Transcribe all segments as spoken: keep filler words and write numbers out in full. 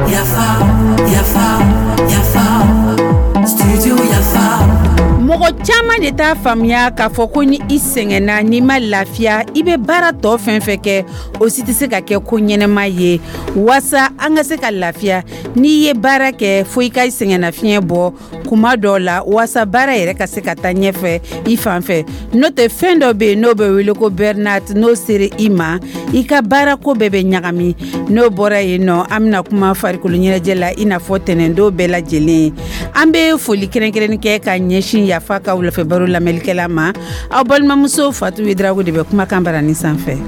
Yafa, yafa, yafa, studio Yafa. Mɔgɔ caman de t'a faamuya k'a fɔ ko ni i sɛgɛnna, n'i ma lafiya, i bɛ baara tɔ fɛn fɛn kɛ, o si tɛ se ka kɛ ko ɲɛnɛma ye. Waasa an ka se ka lafiya, n'i ye baara kɛ, fo i ka sɛgɛnnafiɲɛ bɔ kuma dɔw la, waasa baara yɛrɛ ka se ka taa ɲɛfɛ i fan fɛ. N'o tɛ, fɛn dɔ bɛ yen n'o bɛ wele ko burnout, n'o sera i ma, i ka baarako bɛɛ bɛ ɲagami. N'o bɔra yen nɔ, an bɛna kuma farikolo ɲɛnajɛ la, i n'a fɔ tɛnɛndon bɛɛ lajɛlen. An bɛ foli kɛrɛnkɛrɛnni kɛ ka ɲɛsin Yafa ka wulafɛ baro lamɛnlikɛla ma. Aw balimamuso Fatu Widirago de bɛ kumakan barani sanfɛ.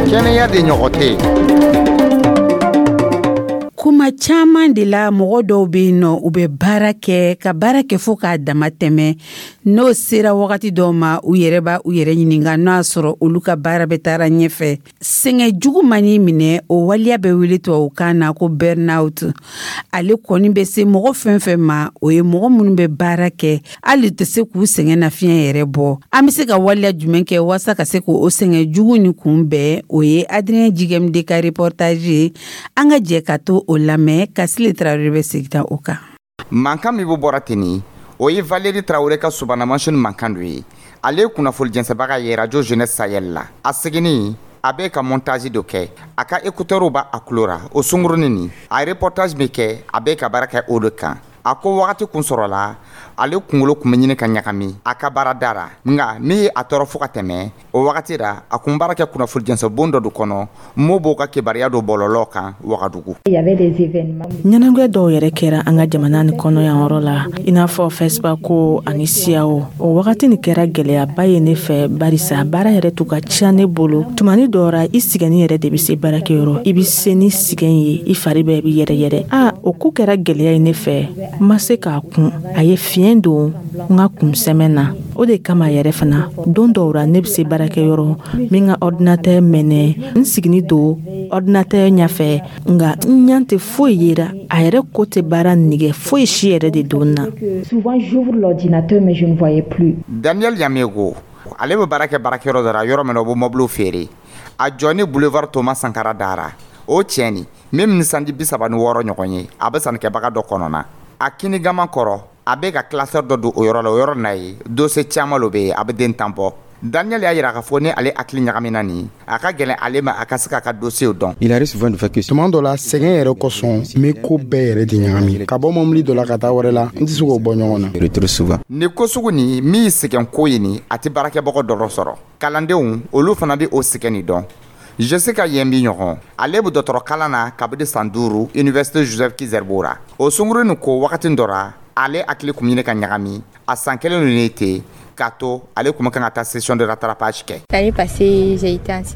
Kɛnɛya de ɲɔgɔn tɛ. Kuma caman de la, mɔgɔ dɔw bɛ yen nɔ, u bɛ baara kɛ ka baara kɛ fo k'a dama tɛmɛ. N'o sera wagati dɔw ma, u yɛrɛ b'a u yɛrɛ ɲininka n'o y'a sɔrɔ olu ka baara bɛ taara ɲɛfɛ. Sɛgɛn jugu man'i minɛ, o waleya bɛ wele tubabukan na ko burnout. Ale kɔni bɛ se mɔgɔ fɛn fɛn ma, o ye mɔgɔ minnu bɛ baara kɛ, hali tɛ se k'u sɛgɛn nafiɲɛ yɛrɛ bɔ. An bɛ se ka waleya jumɛn kɛ waasa ka se k'o sɛgɛn jugu ni kunbɛn? O ye Adrien Jigɛmde ka reportage ye. An ka jɛ ka to o lamɛn. Ka Sile Tarawele bɛ segin o kan. Mankan min bɛ bɔra ten, o ye Valérie Traoré ka subahana mansin mankan dɔ ye. Ale ye kunnafoni jɛnsɛbaga ye Radio Jeunesse Sahel la. A seginni, a bɛ ka montage dɔ kɛ, a ka écouteur b'a a tulo ra. O sunkurunin nin, a ye reportage min kɛ, a bɛ ka baara kɛ o de kan. A ko wagati kun sɔrɔla, ale kunkolo kun bɛ ɲini ka ɲagami a ka baarada ra. Nka min ye a tɔɔrɔ fo ka tɛmɛ, o wagati ra, a kun baara kɛ kunnafoni jɛnsɛbon dɔ de kɔnɔ, m'o b'o ka kibaruya don bɔlɔlɔ kan Wagadugu. Ɲɛnagwɛ dɔw yɛrɛ kɛra an ka jamana ni kɔnɔ yan yɔrɔ la, i n'a fɔ FESPACO ani SIAO. O wagati nin kɛra gɛlɛyaba ye ne fɛ, barisa baara yɛrɛ tun ka ca ne bolo. Tumani dɔw ra, i sɛgɛnni yɛrɛ de bɛ se baarakɛyɔrɔ, i bɛ se ni sɛgɛn ye, i fari bɛɛ bɛ yɛrɛ yɛrɛ. A o ko kɛra gɛlɛya ye ne fɛ, n ma se k'a kun. A ye fiɲɛ don n ka kunsɛmɛ na. O de kama yɛrɛ fana, don dɔw ra, ne bɛ se baarakɛyɔrɔ, n ka ordinateur mɛnɛ, n sigini don ordinateur ɲɛfɛ, nka n ɲɛ tɛ foyi yera. A yɛrɛ ko tɛ baara nɛgɛ foyi si yɛrɛ de don na. Souvent, j'ouvre l'ordinateur, mais je ne voyais plus. Daniel Yamego, ale bɛ baara kɛ baarakɛyɔrɔ dɔ la, yɔrɔ min na o bɛ mɔbiliw feere. A jɔ ni boulevard Thomas Sankara dara o tiɲɛ ni min ni sanji bi saba ni wɔɔrɔ ɲɔgɔn ye, a bɛ sannikɛbaga dɔ kɔnɔ na. A kinigama kɔrɔ, a bɛ ka classeur dɔ don o yɔrɔ la. O yɔrɔ na ye dossier caman lo bɛ yen, a bɛ den tan bɔ. Daniel y'a yira k'a fɔ ni ale hakili ɲagamina nin, a ka gɛlɛn ale ma a ka se k'a ka dossier dɔn. Tuma dɔ la, sɛgɛn yɛrɛ kosɔn, n bɛ ko bɛɛ yɛrɛ de ɲagami, ka bɔ mɔbili dɔ la ka taa wɛrɛ la, n tɛ se k'o bɔ ɲɔgɔn na. Nin ko sugu nin min ye sɛgɛn ko ye nin, a tɛ baarakɛbagaw dɔrɔn sɔrɔ, kalandenw olu fana bɛ o sɛgɛn nin dɔn. Jessica Yembi ɲɔgɔn, ale bɛ dɔgɔtɔrɔ kalan na kabini san duuru Université Joseph Ki-Zerbo ra. O sunkurunin nin ko wagati dɔ ra, ale hakili kun ɲini ka ɲagami. A san kelen ninnu ten k'a to ale kun kan ka taa session de rattrapage kɛ.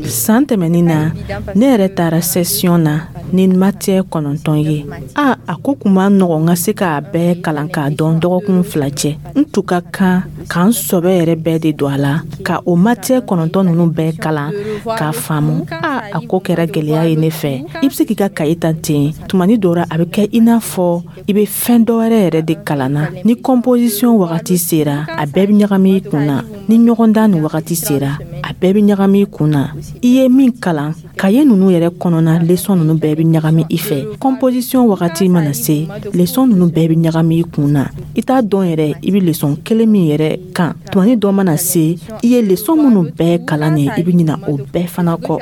San tɛmɛnin na, ne yɛrɛ taara session na ni matière kɔnɔntɔn ye. A a ko kun ma nɔgɔn n ka se k'a bɛɛ kalan k'a dɔn dɔgɔkun fila cɛ. N tun ka kan k'an sɔbɛ yɛrɛ bɛɛ de don a la ka o matière kɔnɔntɔn ninnu bɛɛ kalan k'a faamu. A a ko kɛra gɛlɛya ye ne fɛ. I bɛ se k'i ka kaye ta ten, tumani dɔ ra, a bɛ kɛ i n'a fɔ i bɛ fɛn dɔ wɛrɛ yɛrɛ de kalan na. Ni composition wagati sera, a bɛɛ bɛ ɲagami i kun na. Ni ɲɔgɔndan ni wagati sera, a bɛɛ bɛ ɲagami i kun na. I ye min kalan kaye ninnu yɛrɛ kɔnɔna, leçon ninnu bɛɛ bɛ ɲagami i fɛ. Composition wagati mana se, leçon ninnu bɛɛ bɛ ɲagami i kun na. I t'a dɔn yɛrɛ i bɛ leçon kelen min yɛrɛ kan. Tumani dɔ mana se, i ye leçon minnu bɛɛ kalan nin, i bɛ ɲina o bɛɛ fana kɔ.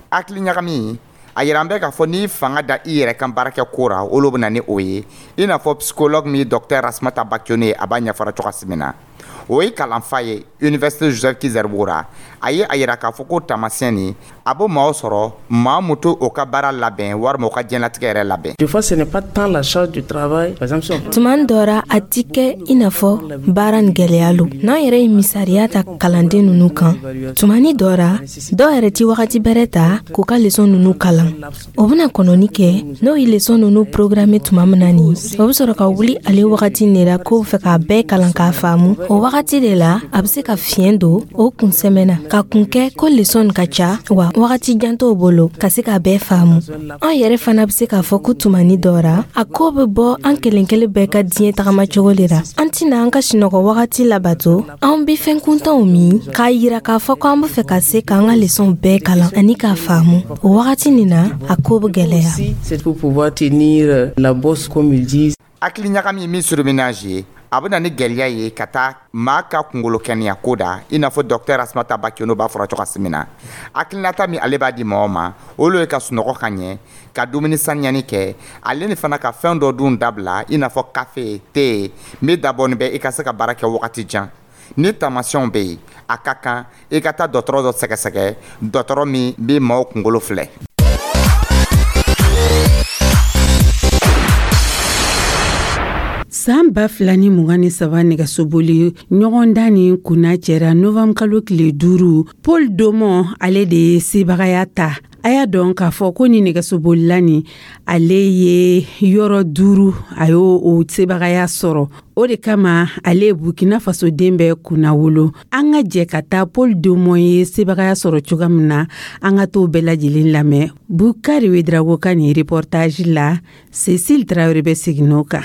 Hakili ɲagami, a yira an bɛ k'a fɔ n'i fanga da i yɛrɛ kan baarakɛ ko ra, olu bɛ na ni o ye. I n'a fɔ psychologue min, docteur Rasmata Bakione, a b'a ɲɛfɔra cogoya min na, o ye kalanfa ye Université Joseph Ki-Zerbo ra. A ye a yira k'a fɔ ko taamasiyɛn nin, a bɛ maaw sɔrɔ, maa mun to o ka baara labɛn walima o ka diɲɛlatigɛ yɛrɛ labɛn. Tuma dɔ ra, a ti kɛ i n'a fɔ baara ni gɛlɛya lo. N'an yɛrɛ ye misaliya ta kalanden ninnu kan, tumani dɔ ra, dɔw yɛrɛ ti wagati bɛrɛ ta k'u ka leçon ninnu kalan. O bena kɔnɔni kɛ, n'o ye leçon ninnu programme tuma min na nin, o be sɔrɔ ka wuli ale wagati ne ra k'o fɛ k'a bɛɛ kalan k'a faamu. O wagati de la, a bɛ se ka fiɲɛ don o kunsɛmɛ na, ka kun kɛ ko leçon ka ca, wa wagati jan t'o bolo ka se k'a bɛɛ faamu. An yɛrɛ fana bɛ se k'a fɔ ko tumani dɔ ra, a ko bɛ bɔ an kelen kelen bɛɛ ka diɲɛ tagamacogo de la. An tɛna an ka sinɔgɔ wagati labato, an bɛ fɛn kuntanw min k'a yira k'a fɔ ko an bɛ fɛ ka se k'an ka leçon bɛɛ kalan ani k'a faamu. O wagati nin na, a ko bɛ gɛlɛya. C'est pour pouvoir tenir la bosse, comme ils disent. Hakili ɲagami min surmenage ye, a bɛ na ni gɛlɛya ye ka taa maa ka kunkolo kɛnɛya ko da, i n'a fɔ docteur Asmata Bakiono b'a fɔra cogo min na. Hakilinata min ale b'a di mɔgɔ ma, olu ye ka sunɔgɔ ka ɲɛ, ka dumuni saniyani kɛ, ale ni fana ka fɛn dɔ dun dabila, i n'a fɔ kafe, te min dabɔnin bɛ i ka se ka baara kɛ wagati jan. Ni taamasiyɛnw bɛ yen, a ka kan i ka taa dɔgɔtɔrɔ dɔ sɛgɛsɛgɛ, dɔgɔtɔrɔ min bɛ maaw kunkolo filɛ. San ba fila ni mugan ni saba nɛgɛsoboli ɲɔgɔndan ni kunna cɛra novembre kalo tile duuru, Paul Domon ale de ye sebagaya ta. A y'a dɔn k'a fɔ ko ni nɛgɛsobolila nin, ale ye yɔrɔ duuru, a y'o o sebagaya sɔrɔ. O de kama ale ye Burkina Faso den bɛɛ kunna wolo. An ka jɛ ka taa Paul Domon ye sebagaya sɔrɔ cogoya min na, an ka t'o bɛɛ lajɛlen lamɛn Bukari Wedrago ka nin reportage la. Cécile Traoré bɛ segin n'o kan.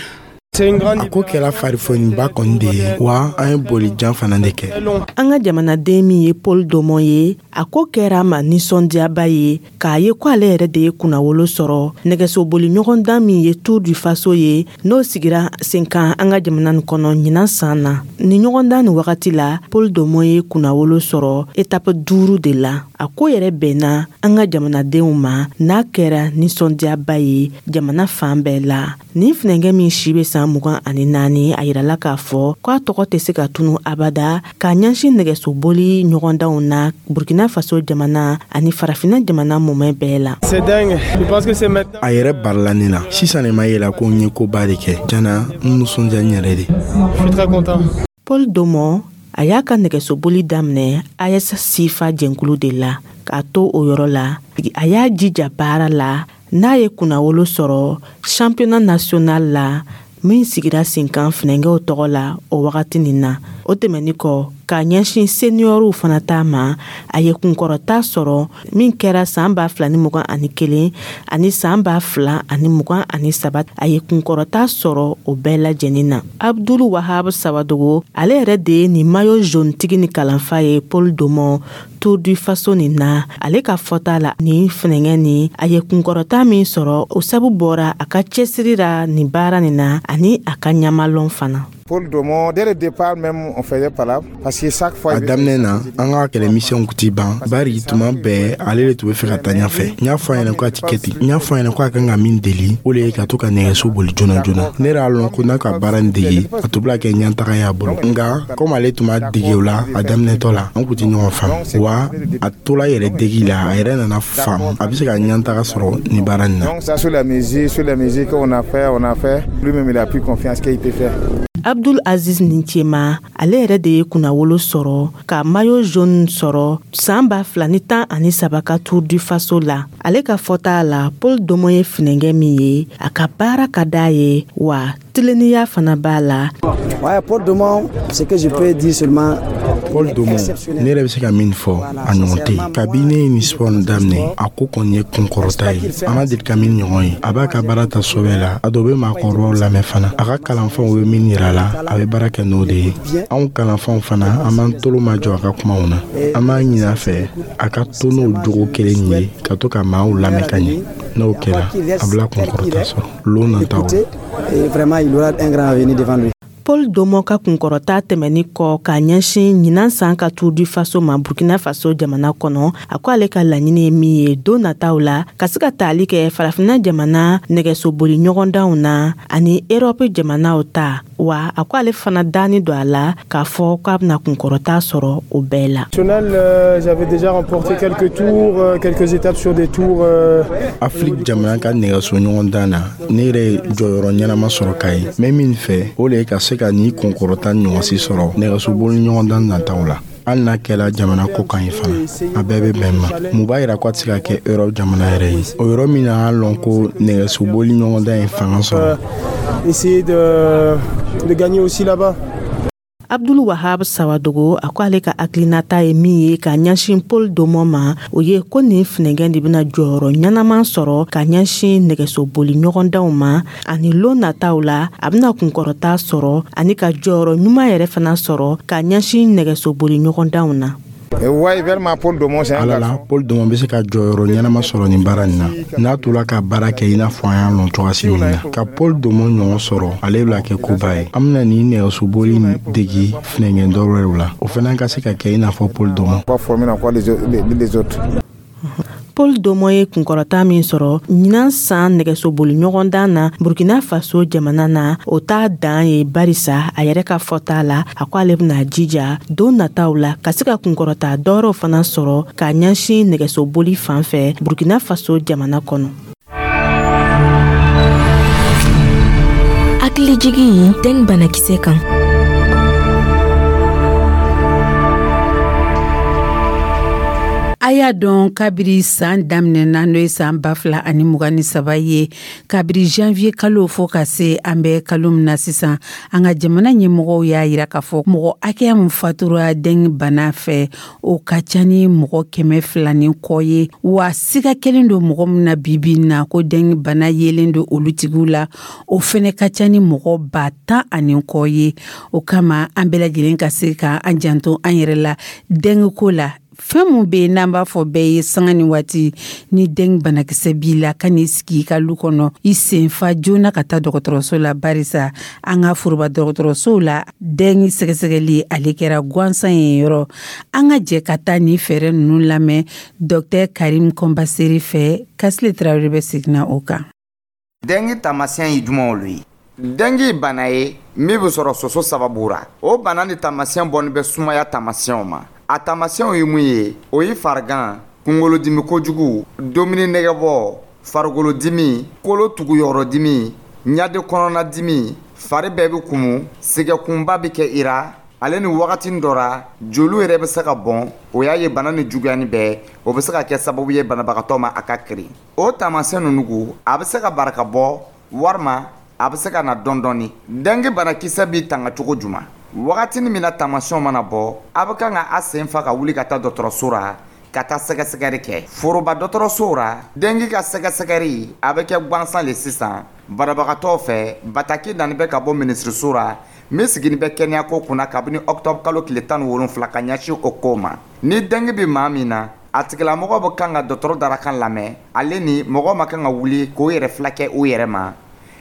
A ko kɛra farifoniba kɔni de ye, wa an ye bolijan fana de kɛ. An ka jamanaden min ye Paul Domon ye, a ko kɛra a ma nisɔndiyaba ye k'a ye ko ale yɛrɛ de ye kunnawolo sɔrɔ nɛgɛsoboli ɲɔgɔndan min ye Tour du Faso ye, n'o sigira sen kan an ka jamana nin kɔnɔ ɲinan san na. Nin ɲɔgɔndan nin wagati la, Paul Domon ye kunnawolo sɔrɔ etape duuru de la. A ko yɛrɛ bɛnna an ka jamanadenw ma, n'a kɛra nisɔndiyaba ye jamana fan bɛɛ la. Nin funɛnkɛ min si bɛ san mugan ani naani, a yirala k'a fɔ k'a tɔgɔ tɛ se ka tunu abada k'a ɲɛsin nɛgɛsoboli ɲɔgɔndanw na Burkina Faso jamana ani farafinna jamana mumɛ bɛɛ la. A yɛrɛ barila ne la sisan de, ma yɛlɛ ko n ye koba de kɛ jana, n nisɔndiya n yɛrɛ de. Paul Domon a y'a ka nɛgɛsoboli daminɛ A S Sifa jɛnkulu de la. K'a to o yɔrɔ la, a y'a jija baara la, n'a ye kunnawolo sɔrɔ championnat national la min sigira sen kan funɛnkɛw tɔgɔ la o wagati nin na. O tɛmɛnin kɔ, k'a ɲɛsin seniɔriw fana ta ma, a ye kunkɔrɔta sɔrɔ min kɛra san ba fila ni mugan ani kelen ani san ba fila ani mugan ani saba. A ye kunkɔrɔta sɔrɔ o bɛɛ lajɛlen na. Abdul Wahab Sawadogo, ale yɛrɛ de ye nin maillot jaune tigi ni kalanfa ye Paul Domon Tour du Faso nin na. Ale ka fɔta la, nin funɛnkɛ nin, a ye kunkɔrɔta min sɔrɔ, o sabu bɔra a ka cɛsiri la nin baara nin na ani a ka ɲamalɔn fana. Paul Domon, dès le départ même, on faisait palabre parce que chaque fois. A daminɛ na, an ka kɛlɛmisɛnw kun ti ban, bari tuma bɛɛ ale de tun bɛ fɛ ka taa ɲɛfɛ. N y'a fɔ a ɲɛna ko a ti kɛ ten, n y'a fɔ a ɲɛna ko a kan ka min deli, o de ye ka to ka nɛgɛso boli joona joona. Ne yɛrɛ y'a lɔn ko n'a ka baara nin dege, a tun bɛna kɛ ɲɛtaga y'a bolo. Nka komi ale tun b'a dege o la a daminɛtɔ la, an kun ti ɲɔgɔn faamu, wa a tola yɛrɛ degi la, a yɛrɛ nana faamu a bɛ se ka ɲɛtaga sɔrɔ nin baara nin na. Donc ça, sur la musique, sur la musique qu'on a fait, on a fait, lui-même il a pris confiance qu'il peut faire. Abdul Aziz Nincema, ale yɛrɛ de ye kunnawolo sɔrɔ ka maillot jaune sɔrɔ san ba fila ni tan ani saba ka Tour du Faso la. Ale ka fɔta la, Paul Domon ye funɛnkɛ min ye, a ka baara ka d'a ye, wa tilennenya fana b'a la. Ouais, Paul Domon, ce que je peux dire seulement, Paul Domon, ne yɛrɛ bɛ se ka min fɔ, a ɲɔgɔn tɛ yen. Kabi ne ye nin sport nin daminɛ, a ko kɔni ye kunkɔrɔta ye, an ma deli ka min ɲɔgɔn ye. A b'a ka baara ta sɛbɛ la, a dɔ bɛ maakɔrɔbaw lamɛn fana. A ka kalanfanw bɛ min yira la, a bɛ baara kɛ n'o de ye. Anw kalanfanw fana, an b'an tolo majɔ a ka kumaw na. An b'a ɲini a fɛ a ka to n'o jogo kelen ye, ka to ka maaw lamɛn ka ɲɛ. N'o kɛra, a bila kunkɔrɔta sɔrɔ lon nataw la. Vraiment, il aura un grand avenir devant lui. Paul Domon ka kunkɔrɔta tɛmɛni kɔ k'a ɲɛsin ɲinan san ka Tour du Faso ma Burkina Faso jamana kɔnɔ, a ko ale ka laɲini ye min ye don nataw la, ka se ka taali kɛ farafinna jamana nɛgɛsoboli ɲɔgɔndanw na ani Erɔpe jamanaw ta. Wa a ko ale fana danni don a la k'a fɔ k'a bɛna kunkɔrɔta sɔrɔ o bɛɛ la. J'avais déjà remporté quelques tours, quelques étapes sur des tours. Afiriki jamana ka nɛgɛso ɲɔgɔndan na, ne yɛrɛ ye jɔyɔrɔ ɲɛnama sɔrɔ ka ye. N bɛ min fɛ, o de ye ka se ka nin kunkɔrɔta ɲɔgɔnsi sɔrɔ nɛgɛsoboli ɲɔgɔndan nataw la. Hali n'a kɛra jamana ko kan ye fana, a bɛɛ bɛ bɛn ma. Mun b'a yira ko a tɛ se ka kɛ Europe jamana yɛrɛ ye, o yɔrɔ min na an lɔn ko nɛgɛsoboli ɲɔgɔndan ye fanga sɔrɔ. Essayer de, de gagner aussi là-bas. Abdul Wahab Sawadogo a ko ale ka hakilinata ye min ye ka ɲɛsin Paul Domon ma, o ye ko nin funɛgɛn de bɛna jɔyɔrɔ ɲɛnama sɔrɔ ka ɲɛsin nɛgɛsoboli ɲɔgɔndanw ma, ani lon nataw la a bɛna kunkɔrɔta sɔrɔ ani ka jɔyɔrɔ ɲuman yɛrɛ fana sɔrɔ ka ɲɛsin nɛgɛsoboli ɲɔgɔndanw na. Ala la, Paul Domon bɛ se ka jɔyɔrɔ ɲɛnama sɔrɔ nin baara nin na n'a tola ka baara kɛ i n'a fɔ an y'a lɔn cogoya min na. Ka Paul Domon ɲɔgɔn sɔrɔ, ale bɛna kɛ koba ye. An bɛna nin nɛgɛsoboli degi funɛgɛn dɔ wɛrɛw la, o fana ka se ka kɛ i n'a fɔ Paul Domon. Paul Domon ye kunkɔrɔta min sɔrɔ ɲinan san nɛgɛsoboli ɲɔgɔndan na Burkina Faso jamana na, o t'a dan ye, barisa a yɛrɛ ka fɔta la, a ko ale bɛna jija don nataw la ka se ka kunkɔrɔta dɔwɛrɛw fana sɔrɔ ka ɲɛsin nɛgɛsoboli fan fɛ Burkina Faso jamana kɔnɔ. Hakilijigi dengue banakisɛ kan. A y'a dɔn kabiri san daminɛna, n'o ye san ba fila ani mugan ni saba ye, kabiri janvier kalo fo ka se an bɛ kalo min na sisan, an ka jamana ɲɛmɔgɔw y'a yira k'a fɔ mɔgɔ hakɛya min fatura dengue bana fɛ, o ka ca ni mɔgɔ kɛmɛ fila ni kɔ ye. Wa siga kelen don mɔgɔ min na bibi na ko dengue bana yelen don olu tigiw la, o fɛnɛ ka ca ni mɔgɔ ba tan ani kɔ ye. O kama an bɛɛ lajɛlen ka se ka an janto an yɛrɛ la dengue ko la. Fɛn mun bɛ yen n'an b'a fɔ bɛɛ ye sanga ni waati, ni dengue banakisɛ b'i la, ka n'i sigi i ka lu kɔnɔ, i senfa joona ka taa dɔgɔtɔrɔso la, barisa an ka foroba dɔgɔtɔrɔsow la dengue sɛgɛsɛgɛli ale kɛra gansan ye yɔrɔ. An ka jɛ ka taa nin fɛɛrɛ ninnu lamɛn Docteur Karim Kɔnbaseri fɛ. Kasile Tarawele bɛ seginna o kan. Dengue taamasiyɛn ye jumɛnw olu ye? Dengue bana ye min bɛ sɔrɔ soso sababu ra. O bana ni taamasiyɛn bɔnni bɛ sumaya taamasiyɛnw ma. A taamasiyɛnw ye mun ye? O ye farigan, kunkolodimi kojugu, dumuni nɛgɛbɔ, farikolodimi, kolo tuguyɔrɔdimi, ɲade kɔnɔnadimi, fari bɛɛ bɛ kumu, sɛgɛkunba bɛ kɛ i ra, ale ni wagati dɔ ra joliw yɛrɛ bɛ se ka bɔn. O y'a ye bana ni juguyani bɛɛ, o bɛ se ka kɛ sababu ye banabagatɔ ma a ka kirin. O taamasiyɛn ninnu, a bɛ se ka barika bɔ walima a bɛ se ka na dɔɔni dɔɔni. Dengue banakisɛ b'i tanga cogo jumɛn? Wagati min na taamasiyɛnw mana bɔ, a bɛ kan ka a sen fa ka wuli ka taa dɔgɔtɔrɔso ra ka taa sɛgɛsɛgɛli kɛ. Foroba dɔgɔtɔrɔsow ra, dengue ka sɛgɛsɛgɛli a bɛ kɛ gansan le sisan banabagatɔw fɛ. Bataki nani bɛ ka bɔ minisiriso ra min sigini bɛ kɛnɛyako kunna kabini octobre kalo tile tan ni wolonfila ka ɲɛsin o ko ma. Ni dengue bɛ maa min na, a tigilamɔgɔ bɛ kan ka dɔgɔtɔrɔ darakan lamɛn, ale ni mɔgɔ ma kan ka wuli k'o yɛrɛ fila kɛ o yɛrɛ ma,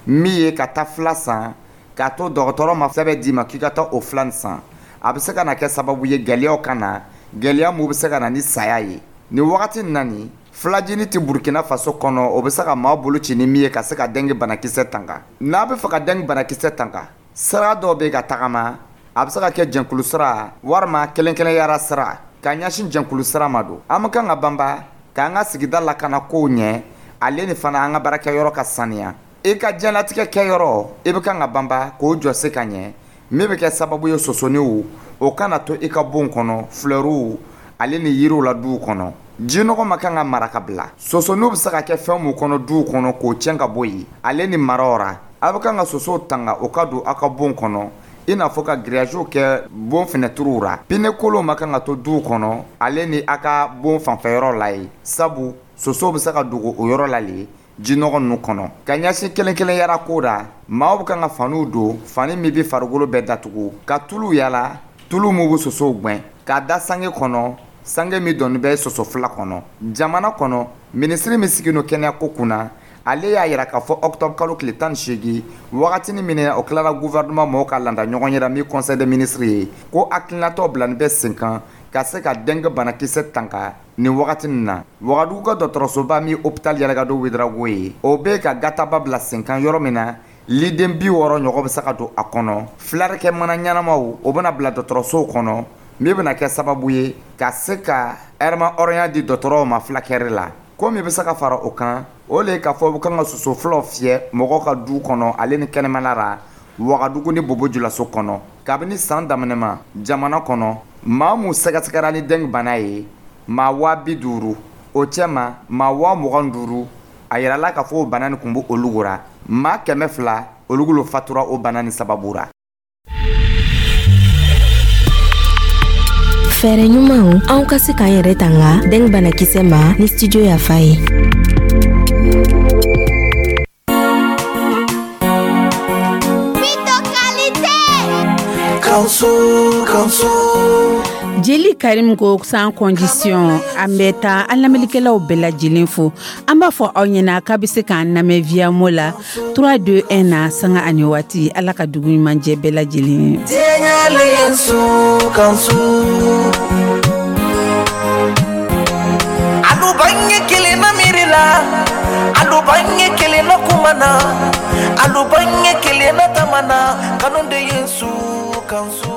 min ye ka taa fila san k'a to dɔgɔtɔrɔ ma sɛbɛn d'i ma k'i ka taa o filan san. A bɛ se ka na kɛ sababu ye gɛlɛyaw ka na, gɛlɛya mun bɛ se ka na ni saya ye. Nin wagati in na nin filajini tɛ Burkina Faso kɔnɔ, o bɛ se ka maa bolo ci ni min ye ka se ka dengue banakisɛ tanga. N'a bɛ fɛ ka dengue banakisɛ tanga, sira dɔw bɛ ka tagama, a bɛ se ka kɛ jɛnkulu sira walima kelen-kelenyara sira. Ka ɲɛsin jɛnkulu sira ma don, an bɛ kan ka banba k'an ka sigida lakana kow ɲɛ, ale ni fana an ka baarakɛyɔrɔ ka saniya. I ka diɲɛlatigɛ kɛyɔrɔ, i bɛ kan ka banba k'o jɔ se ka ɲɛ, min bɛ kɛ sababu ye sosoniw o kana to i ka bon kɔnɔ, flɛriw ale ni yiriw la duw kɔnɔ. Jinɔgɔ ma kan ka mara ka bila. Sosoniw bɛ se ka kɛ fɛn mun kɔnɔ duw kɔnɔ k'o tiɲɛ ka bɔ yen, ale ni maraw ra. A bɛ kan ka sosow tanga o ka don aw ka bon kɔnɔ, i n'a fɔ ka grillage kɛ bon fenɛtiriw ra. Pine kolonw ma kan ka to duw kɔnɔ, ale ni aw ka bon fanfɛyɔrɔ la ye, sabu sosow bɛ se ka dogo o yɔrɔ la le jinɔgɔ ninnu kɔnɔ. Ka ɲɛsin kelen kelen yara ko ra, maaw bɛ kan ka faniw don, fani min bɛ farikolo bɛɛ datugu, ka tulu yala, tulu min bɛ sosow gɛn, k'a da sange kɔnɔ, sange min dɔnni bɛ soso fila kɔnɔ. Jamana kɔnɔ, minisiri min sigilen don kɛnɛyako kunna, ale y'a yira k'a fɔ octobre kalo tile tan ni seegin, wagatinin min o tilara gouvernement mɔgɔw ka landa ɲɔgɔn yɛrɛ min conseil des ministres ye, ko hakilinatɔ bilani bɛ sen kan ka se ka dengue banakisɛ tanga nin wagati nin na. Wagadugu ka dɔgɔtɔrɔsoba min hôpital Yalɛkado Ouédraogo ye, o bɛ ka gataba bila sen kan yɔrɔ min na liden bi wɔɔrɔ ɲɔgɔn bɛ se ka don a kɔnɔ. Filarekɛ mana ɲɛnamaw o bɛna bila dɔgɔtɔrɔsow kɔnɔ, min bɛna kɛ sababu ye ka se ka ɛrɛma hɔrɔnya di dɔgɔtɔrɔw ma fulakɛri la. Ko min bɛ se ka fara o kan, o le k'a fɔ u kan ka soso fulaw fiyɛ mɔgɔw ka du kɔnɔ ale ni kɛnɛmana ra Wagadugu ni Bobo Julaso kɔnɔ. Kabini san daminɛ ma jamana kɔnɔ, maa mun sɛgɛsɛgɛra ni dengue bana ye, maa waa bi duuru, o cɛma maa waa mugan duuru a yirala k'a fɔ o bana nin kun bɛ olu ra. Maa kɛmɛ fila olu fatura o bana nin sababu ra. Fɛɛrɛ ɲumanw anw ka se k'an yɛrɛ tanga dengue banakisɛ ma ni Studio Yafa ye. Jeli Karim ko sans condition, an bɛ taa an lamɛnnikɛlaw bɛɛ lajɛlen fo. An b'a fɔ aw ɲɛna k'a bɛ se k'an lamɛn via mo la trois deux un na sanga ani waati. Ala ka dugu ɲuman jɛ bɛɛ lajɛlen ye. Alu kelen na miiri la, alu bange kelen na kuma na, alu bange kelen na tama na, kanu de ye su kan su.